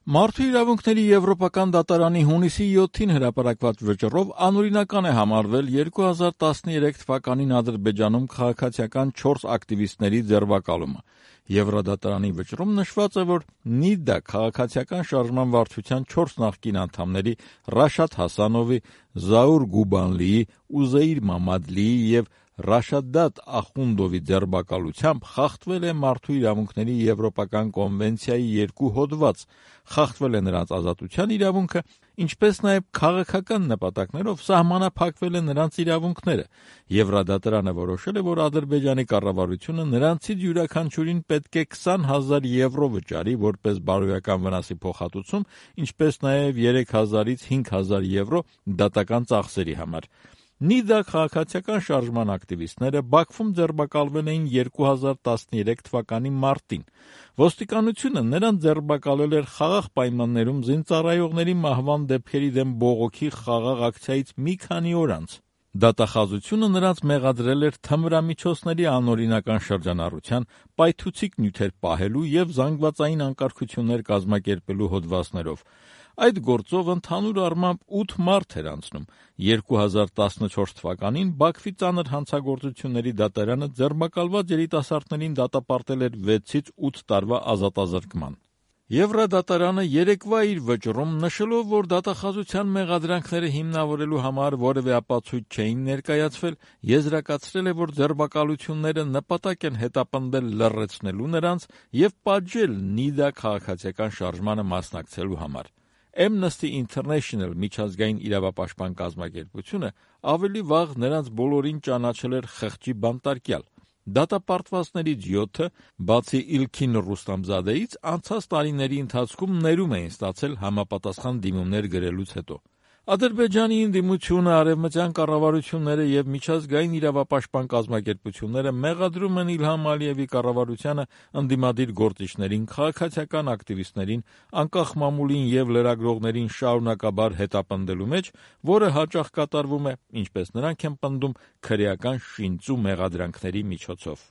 Մարդու իրավունքների Եվրոպական դատարանի հունիսի 7-ին հրապարակված վճռով անօրինական է համարվել 2013 թվականին Ադրբեջանում քաղաքացիական 4 ակտիվիստների ձերբակալումը։ Եվրոդատարանի վճռում նշված է, որ ՆԻԴԱ քաղաքացիական շարժման վարչության 4 նախկին անդամների Ռաշադ Հասանովի, Զաուր Գուբանլիի, Ուզեյր Մամադլիի և Ռաշադատ Ախունդովի ձերբակալությամբ խախտվել է Մարդու իրավունքների Եվրոպական կոնվենցիայի 2 հոդված, խախտվել է նրանց ազատության իրավունքը, ինչպես նաև քաղաքական նպատակներով սահմանափակվել է նրանց իրավունքները։ Եվրոդատարանը որոշել է, որ Ադրբեջանի կառավարությունը նրանցից յուրաքանչյուրին պետք է 20,000 եվրո վճարի որպես բարոյական վնասի փոխհատուցում, ինչպես նաև 3,000-ից 5,000 եվրո դատական ծախսերի համար։ ՆԻԴԱ քաղաքացիական շարժման ակտիվիստները Բաքվում ձերբակալվել էին 2013 թվականի մարտին։ Ոստիկանությունը նրանց ձերբակալել էր խաղաղ պայմաններում զինծառայողների մահվան դեպքերի դեմ բողոքի խաղաղ ակցիայից մի քանի օր անց։ Դատախազությունը նրանց մեղադրել էր թմրամիջոցների անօրինական շրջանառության, պայթուցիկ նյութեր պահելու և զանգվածային անկարգություններ կազմակերպելու հոդվածներով։ Այդ գործով ընդհանուր առմամբ 8 մարդ էր անցնում։ 2014 թվականին Բաքվի ծանր հանցագործությունների դատարանը ձերբակալված երիտասարդներին դատապարտել էր 6-ից 8 տարվա ազատազրկման։ Եվրոդատարանը երեկվա իր վճռում, նշելով, որ դատախազության մեղադրանքները հիմնավորելու համար որևէ ապացույց չէին ներկայացվել, եզրակացրել է, որ ձերբակալությունները նպատակ են հետապնդել լռեցնելու նրանց և պատժել ՆԻԴԱ քաղաքացիական շարժմանը մասնակցելու համար։ Amnesty International միջազգային իրավապաշտպան կազմակերպությունը ավելի վաղ նրանց բոլորին ճանաչել էր խղճի բանտարկյալ։ Դատապարտվածներից 7-ը, բացի Իլքին Ռուստամզադեից, անցած տարիների ընթացքում ներում էին ստացել համապատասխան դիմումներ գրելուց հետո։ Ադրբեջանի ընդդիմությունը, արևմտյան կառավարությունները և միջազգային իրավապաշտպան կազմակերպությունները մեղադրում են Իլհամ Ալիևի կառավարությանը ընդդիմադիր գործիչներին, քաղաքացիական ակտիվիստներին, անկախ մամուլին և լրագրողներին շարունակաբար հետապնդելու մեջ, որը հաճախ կատարվում է, ինչպես նրանք են պնդում, քրեական շինծու մեղադրանքների միջոցով։